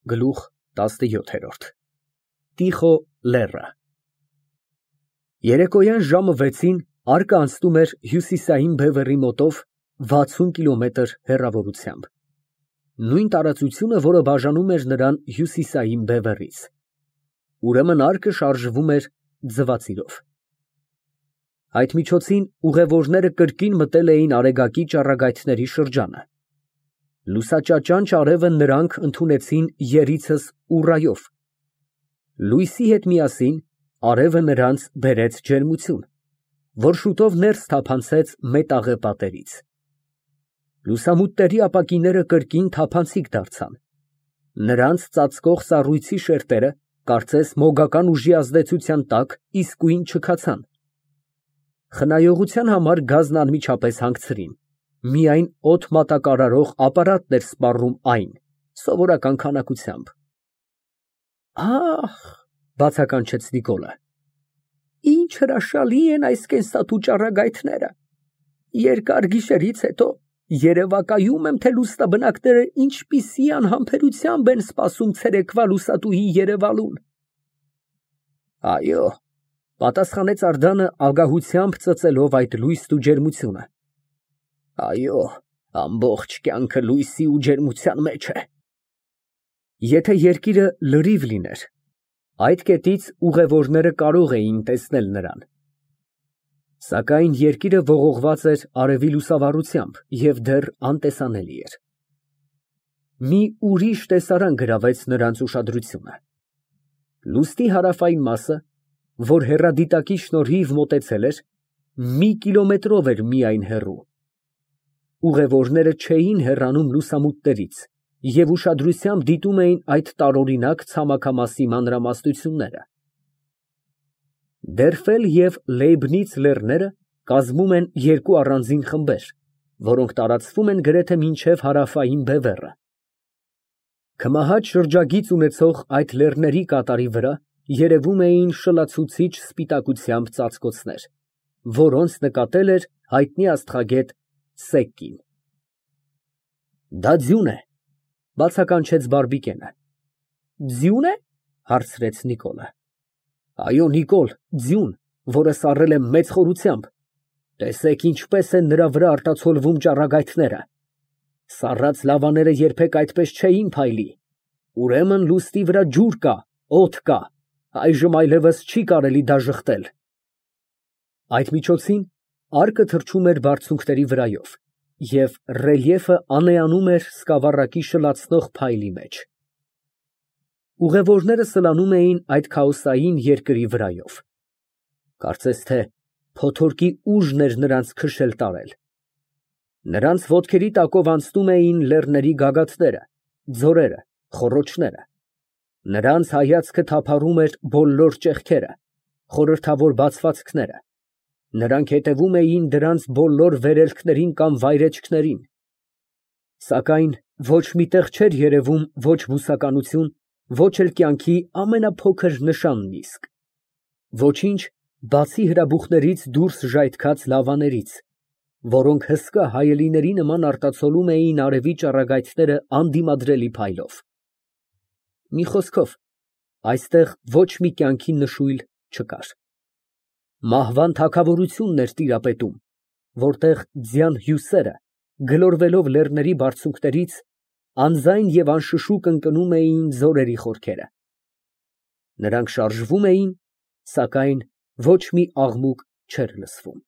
Գլուխ 17 Տիխո լեռը Երեկոյան ժամը 6-ին արկը անցնում էր Հյուսիսային բևեռի մոտով 60 կիլոմետր հեռավորությամբ, նույն տարածությունը, որը բաժանում էր նրան հյուսիսային բևեռից, ուրեմն արկը շարժվում էր ձվածիրով։ Այդ միջոցին ուղևորները կրկին մտել էին Արեգակի ճառագայթների շրջանը։ Լուսաճաճանճ արևը նրանք ընդունեցին երիցս ուռայով։ Լույսի հետ միասին արևը նրանց բերեց ջերմություն, որ շուտով ներս թափանցեց մետաղե պատերից։ Լուսամուտների ապակիները կրկին թափանցիկ դարձան։ Նրանց ծածկող սառույցի շերտերը, կարծես մոգական ուժի ազդեցության տակ, իսկույն չքացան։ Խնայողության համար գազն անմիջապես հանգցրին, միայն օդ մատակարարող ապարատն էր սպառում այն, սովորական քանակությամբ։ Ահ, բացականչեց Նիկոլը, ինչ հրաշալի են այս կենսատու ճառագայթները։ Երկար գիշերից հետո երևակայում եմ, թե լուսնաբնակները ինչպիսի անհամբերությամբ են սպասում ցերեկվա լուսատուի երևալուն։ Այո, պատասխանեց Ардանը ագահությամբ ծծելով այդ լույսն ու ջերմությունը։ Այո, ամբողջ կյանքը լույսի ու ջերմության մեջ է։ Եթե երկիրը լրիվ լիներ, այդ կետից ուղևորները կարող էին տեսնել նրան։ Սակայն երկիրը ողողված էր արևի լուսավառությամբ և դեռ անտեսանելի էր։ Մի ուրիշ տեսարան գրավեց նրանց ուշադրությունը։ Լուսնի հարավային մասը, որ հեռադիտակի շնորհիվ մոտեցել էր, մի կիլոմետրով էր միայն հեռու։ Ուղևորները չէին հեռանում լուսամուտներից և ուշադրությամբ դիտում էին այդ տարօրինակ ցամաքամասի մանրամասնությունները։ Դերֆել և Լեյբնից լեռները կազմում են երկու առանձին խմբեր, որոնք տարածվում են գրեթե մինչև հարավային բևեռը։ Քմահաճ շրջագիծ ունեցող այդ լեռների կատարի վրա երևում էին շլացուցիչ սպիտակությամբ ծածկոցներ, որոնց նկատել էր հայտնի աստղագետ Սեկկին։ Դա ձյուն է, բացականչեց Բարբիկենը։ Ձյուն է, հարցրեց Նիկոլը։ Այո, Նիկոլ, ձյուն, որը սառել եմ մեծ խորությամբ։ Տեսեք, ինչպես են նրա վրա արտացոլվում ճառագայթները։ Սառած լավաները երբեք այդպես չէին փայլի։ Ուրեմն լուսնի վրա ջուր կա, օդ կա, այժմ այլևս չի կարելի դա ժխտել։ Այդ միջոցին արկը թռչում էր բարձունքների վրայով, և ռելիեֆը անեանում էր սկավառակի շլացնող փայլի մեջ։ Ուղևորները սլանում էին այդ քաոսային երկրի վրայով։ Կարծես թե փոթորկի ուժն էր նրանց քշել տարել։ Նրանց ոտքերի տակով անցնում էին լեռների գագաթները, ձորերը, խոռոչները։ Նրանց հայացքը թափառում էր բոլոր ճեղքերը, խորհրդավոր բացվածքները։ Նրանք հետևում էին դրանց բոլոր վերելքներին կամ վայրեջքներին։ Սակայն ոչ մի տեղ չէր երևում ոչ բուսականություն, ոչ էլ կյանքի ամենափոքր նշան իսկ։ Ոչինչ, բացի հրաբուխներից դուրս ժայթքած լավաներից, որոնք հսկա հայելիների նման արտացոլում էին արևի ճառագայթները անդիմադրելի փայլով։ Մի խոսքով, այստեղ ոչ մի կյանքի նշույլ չկար։ Մահվան թագավորությունն էր տիրապետում, որտեղ ձյան հյուսերը, գլորվելով լեռների բարձունքներից, անձայն և անշշուկ ընկնում էին ձորերի խորքերը։ Նրանք շարժվում էին, սակայն ոչ մի աղմուկ չէր լսվում։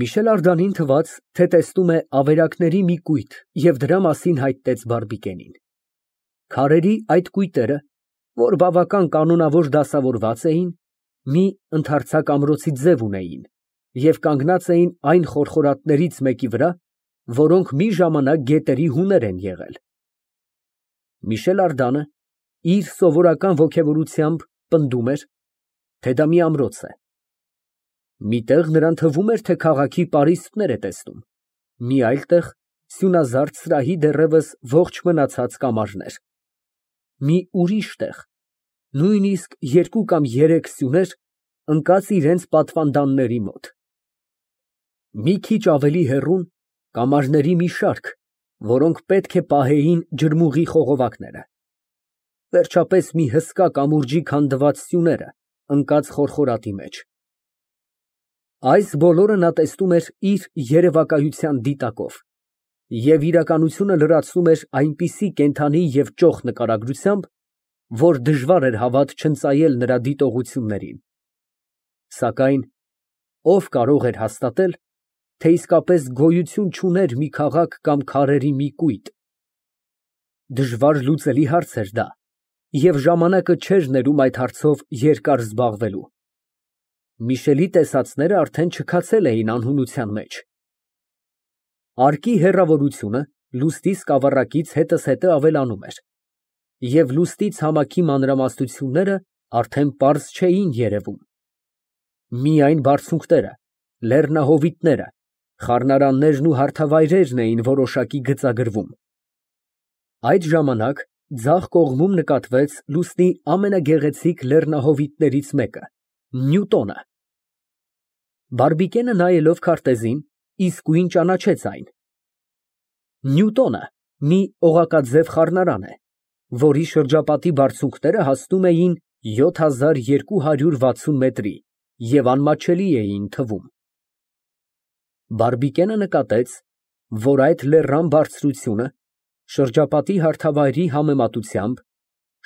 Միշել Ардանին թվաց, թե տեսնում է ավերակների մի կույտ և դրա մասին հայտնեց Բարբիկենին։ Քարերի այդ կույտերը, որ բավական կանոնավոր դասավորված էին, մի ընդարձակ ամրոցի ձև ունեին և կանգնած էին այն խորխորատներից մեկի վրա, որոնք մի ժամանակ գետերի հուներ են եղել։ Միշել Ардանը իր սովորական ոգևորությամբ պնդում էր, թե դա մի ամրոց է։ Մի տեղ նրան թվում էր, թե քաղաքի պարիսպներ է տեսնում, մի այլ տեղ սյունազարդ սրահի դեռևս ողջ մնացած կամարներ։ Մի ուրիշ տեղ, նույնիսկ երկու կամ երեք սյուներ ընկած իրենց պատվանդանների մոտ։ Մի քիչ ավելի հեռուն կամարների մի շարք, որոնք պետք է պահեին ջրմուղի խողովակները։ Վերջապես մի հսկա կամուրջի քանդված սյուները ընկած խորխորատի մեջ։ Այս բոլորը նա տեսնում էր իր երևակայության դիտակով և իրականությունը լրացնում էր այնպիսի կենդանի և ճոխ նկարագրությամբ, որ դժվար էր հավատ չընծայել նրա դիտողություններին։ Սակայն ով կարող էր հաստատել, թե իսկապես գոյություն չուներ մի քաղաք կամ քարերի մի կույտ։ Դժվար լուծելի հարց էր դա, և ժամանակը չէր ներում այդ հարցով երկար զբաղվելու։ Միշելի տեսածները արդեն չքացել էին անհունության մեջ։ Արկի հեռավորությունը լուսնի սկավառակից հետզհետե ավելանում էր, և լուսնի ցամաքի մանրամասնությունները արդեն պարզ չէին երևում։ Միայն բարձունքները, լեռնահովիտները, խառնարաններն ու հարթավայրերն էին որոշակի գծագրվում։ Այդ ժամանակ ձախ կողմում նկատվեց լուսնի ամենագեղեցիկ լեռնահովիտներից մեկը՝ Նյուտոնը։ Բարբիկենը նայելով քարտեզին, իսկույն ճանաչեց այն։ Նյուտոնը մի օղակաձև խառնարան է, որի շրջապատի բարձունքները հասնում էին 7260 մետրի և անմատչելի էին թվում։ Բարբիկենը նկատեց, որ այդ լեռան բարձրությունը շրջապատի հարթավայրի համեմատությամբ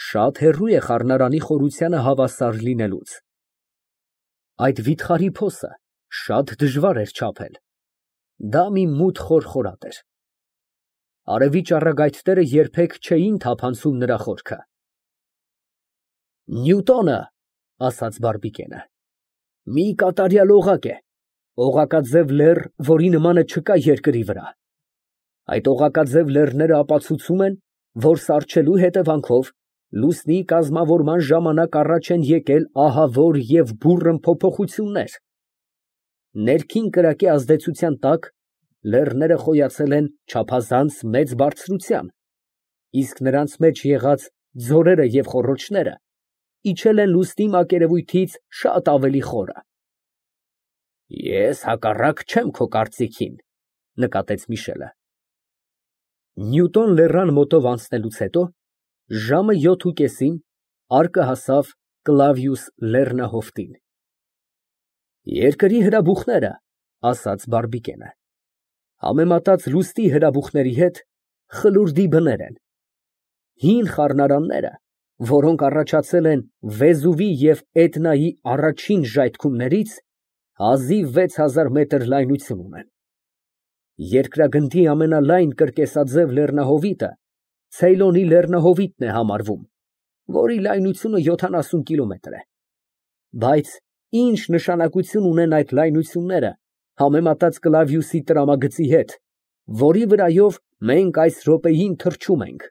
շատ հեռու է խառնարանի խորությանը հավասար լինելուց։ Այդ վիթխարի փոսը շատ դժվար էր չափել։ Դա մի մութ խորխորատ էր։ Արևի ճառագայթները երբեք չէին թափանցում նրա խորքը։ Նյուտոնը, ասաց Բարբիկենը, մի կատարյալ օղակ է, օղակաձև լեռ, որի նմանը չկա երկրի վրա։ Այդ օղակաձև լեռները ապացուցում են, որ սառչելու հետևանքով լուսնի կազմավորման ժամանակ առաջ են եկել ահավոր և բուռն փոփոխություններ։ Ներքին կրակի ազդեցության տակ լեռները խոյացել են չափազանց մեծ բարձրության, իսկ նրանց մեջ եղած ձորերը և խոռոչները իջել են լուսնի մակերևույթից շատ ավելի խորը։ Ես հակառակ չեմ քո կարծիքին, նկատեց Միշելը։ Նյուտոն լեռան մոտով անցնելուց հետո ժամը 7:30 արկը հասավ Կլավիուս լեռնահովտին։ Երկրի հրաբուխները, ասաց Բարբիկենը, համեմատած լուսնի հրաբուխների հետ խլուրդի բներ են։ Հին խառնարանները, որոնք առաջացել են Վեզուվի և Էտնայի առաջին ժայթքումներից, հազիվ 6000 մետր լայնություն ունեն։ Երկրագնդի ամենալայն կրկեսաձև լեռնահովիտը Ցեյլոնի լեռնահովիտն է համարվում, որի լայնությունը 70 կիլոմետր է։ Բայց ինչ նշանակություն ունեն այդ լայնությունները համեմատած Կլավիուսի տրամագծի հետ, որի վրայով մենք այս րոպեին թռչում ենք։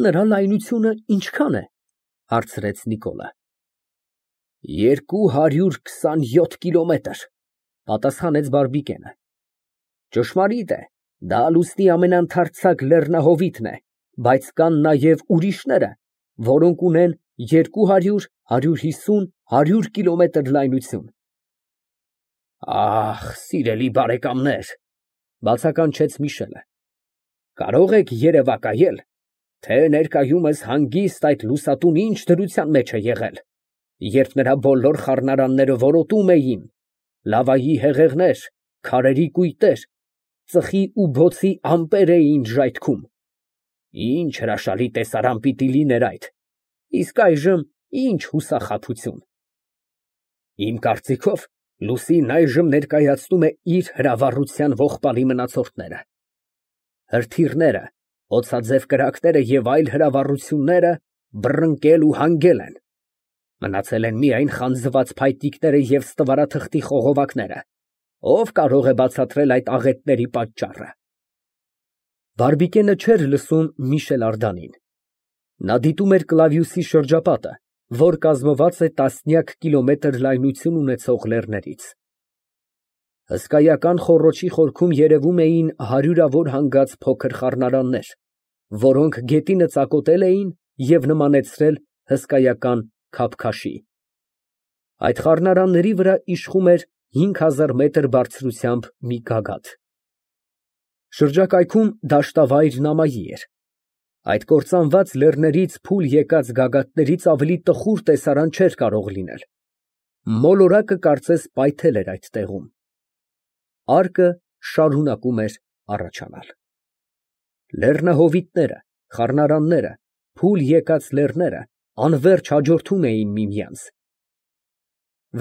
Նրա լայնությունը ինչքան է, հարցրեց Նիկոլը։ 227 կիլոմետր, պատասխանեց Բարբիկենը։ Ճշմարիտ է, դա լուսնի ամենաընդարձակ լեռնահովիտն է, բայց կան նաև ուրիշները, որոնք ունեն 200, 150, 100 կիլոմետր լայնություն։ Ահ, սիրելի բարեկամներ, բացականչեց Միշելը, կարող եք երևակայել, թե ներկայումս հանգիստ այդ լուսատուն ինչ դրության մեջ է եղել, երբ նրա բոլոր խառնարանները որոտում էին, լավայի հեղեղներ, քարերի կույտեր, ծխի ու բոցի ամպեր էին ժայթքում։ Ինչ հրաշալի տեսարան պիտի լիներ այդ, իսկ այժմ ինչ հուսախաբություն։ Իմ կարծիքով, լուսինն այժմ ներկայացնում է իր հրավառության ողբալի մնացորդները։ Հրթիռները, օձաձև կրակները և այլ հրավառությունները բռնկել ու հանգել են։ Մնացել են միայն խանձված փայտիկները և ստվարաթղթի խողովակները։ Ով կարող է բացատրել այդ աղետների պատճառը։ Բարբիկենը չէր լսում Միշել Արդանին։ Նա դիտում էր Կլավիուսի շրջապատը, որ կազմված է տասնյակ կիլոմետր լայնություն ունեցող լեռներից։ Հսկայական խոռոչի խորքում երևում էին հարյուրավոր հանգած փոքր խառնարաններ, որոնք գետինը ծակոտել էին և նմանեցրել հսկայական քաբքաշի։ Այդ խառնարանների վրա իշխում էր 5000 մետր բարձրությամբ մի գագաթ։ Շրջակայքում դաշտավայր նամայի էր։ Այդ կործանված լեռներից փուլ եկած գագաթներից ավելի տխուր տեսարան չէր կարող լինել։ Մոլորակը կարծես պայթել էր այդ տեղում։ Արկը շարունակում էր առաջանալ։ Լեռնահովիտները, խառնարանները, փուլ եկած լեռները անվերջ հաջորդում էին միմյանց։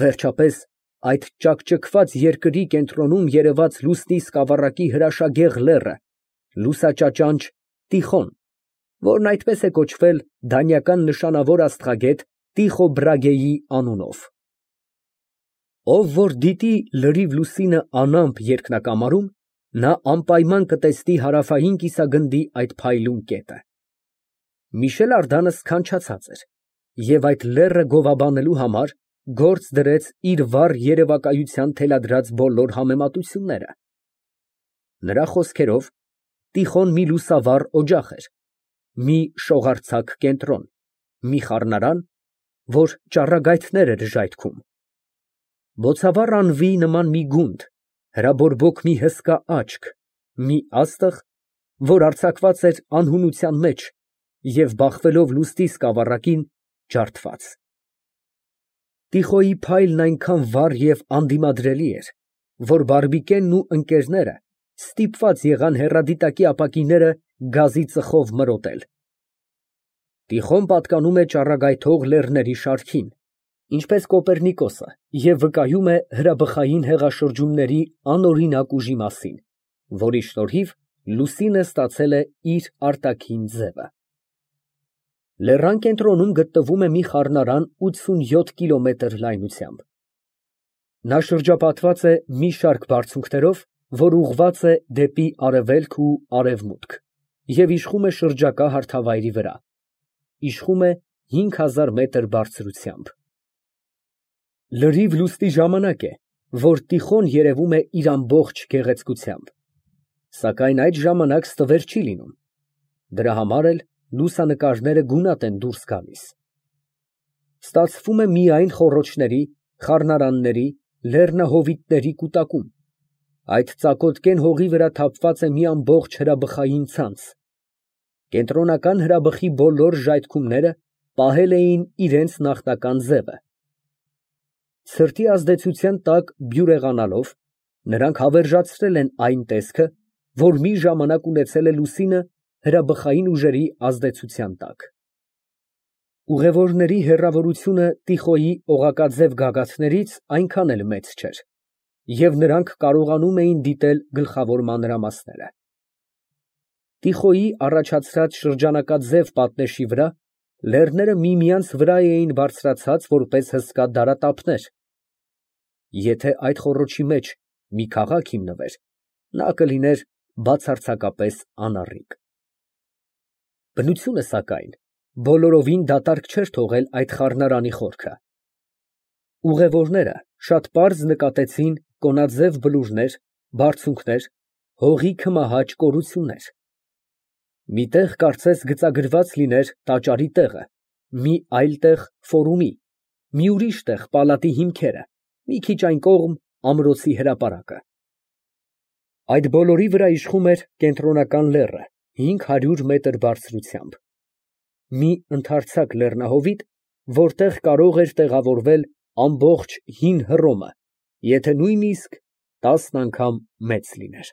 Վերջապես այդ ճաքճքված երկրի կենտրոնում երևաց լուսնի սկավառակի հրաշագեղ լեռը, լուսաճաճանճ Տիխոն, որն այդպես է կոչվել դանիական նշանավոր աստղագետ Տիխո Բրագեի անունով։ Ով որ դիտի լրիվ լուսինը անամպ երկնակամարում, նա անպայման կտեսնի հարավային կիսագնդի այդ փայլուն կետը։ Միշել Ардանը սքանչացած էր և այդ լեռը գովաբանելու համար գործ դրեց իր վառ երևակայության թելադրած բոլոր համեմատությունները։ Նրա խոսքերով, Տիխոն մի լուսավառ օջախ էր, մի շողարցակ կենտրոն, մի խառնարան, որ ճառագայթներ էր ժայթքում, բոցավառ անվի նման մի գունդ, հրաբորբոք մի հսկա աչք, մի աստղ, որ արձակված էր անհունության մեջ և բախվելով լուսնի սկավառակին ջարդված։ Տիխոյի փայլն այնքան վառ և անդիմադրելի էր, որ բարբիկենն ու ընկերները ստիպված եղան հեռադիտակի ապակիները գազի ծխով մրոտել։ Տիխոն պատկանում է ճառագայթող լեռների շարքին, ինչպես Կոպեռնիկոսը, և վկայում է հրաբխային հեղաշրջումների անօրինակ ուժի մասին, որի շնորհիվ լուսինը ստացել է իր արտաքին ձևը։ Լեռան կենտրոնում գտնվում է մի խառնարան 87 կիլոմետր լայնությամբ։ Նա շրջապատված է մի շարք բարձունքներով, որ ուղղված է դեպի արևելք ու արևմուտք և իշխում է շրջակա հարթավայրի վրա, իշխում է 5000 մետր բարձրությամբ։ Լրիվ լուսնի ժամանակ է, որ Տիխոն երևում է իր ամբողջ գեղեցկությամբ, սակայն այդ ժամանակ ստվեր չի լինում, դրա համար էլ լուսանկարները գունատ են դուրս գալիս։ Ստացվում է միայն խոռոչների, խառնարանների, լեռնահովիտների կուտակում, այդ ծակոտկեն հողի վրա թափված է մի ամբողջ հրաբխային ցանց։ Կենտրոնական հրաբխի բոլոր ժայթքումները պահել էին իրենց նախնական ձևը։ Ցրտի ազդեցության տակ բյուրեղանալով, նրանք հավերժացրել են այն տեսքը, որ մի ժամանակ ունեցել է լուսինը հրաբխային ուժերի ազդեցության տակ։ Ուղևորների հեռավորությունը Տիխոյի օղակաձև գագաթներից այնքան էլ մեծ չէր, և նրանք կարողանում էին դիտել գլխավոր մանրամասները։ Տիխոյի առաջացրած շրջանակաձև պատնեշի վրա լեռները միմյանց վրա էին բարձրացած որպես հսկա դարատափներ։ Եթե այդ խոռոչի մեջ մի քաղաք հիմնվեր, նա կլիներ բացարձակապես անառիկ։ Բնությունը, սակայն, բոլորովին դատարկ չէր թողել այդ խառնարանի խորքը։ Ուղևորները շատ պարզ նկատեցին կոնաձև բլուրներ, բարձունքներ, հողի քմահաճ կորություններ։ Մի տեղ կարծես գծագրված լիներ տաճարի տեղը, մի այլ տեղ ֆորումի, մի ուրիշ տեղ պալատի հիմքերը, մի քիչ այն կողմ ամրոցի հրապարակը։ Այդ բոլորի վրա իշխում էր կենտրոնական լեռը 500 մետր բարձրությամբ։ Մի ընդարձակ լեռնահովիտ, որտեղ կարող էր տեղավորվել ամբողջ հին Հռոմը, եթե նույնիսկ 10 անգամ մեծ լիներ։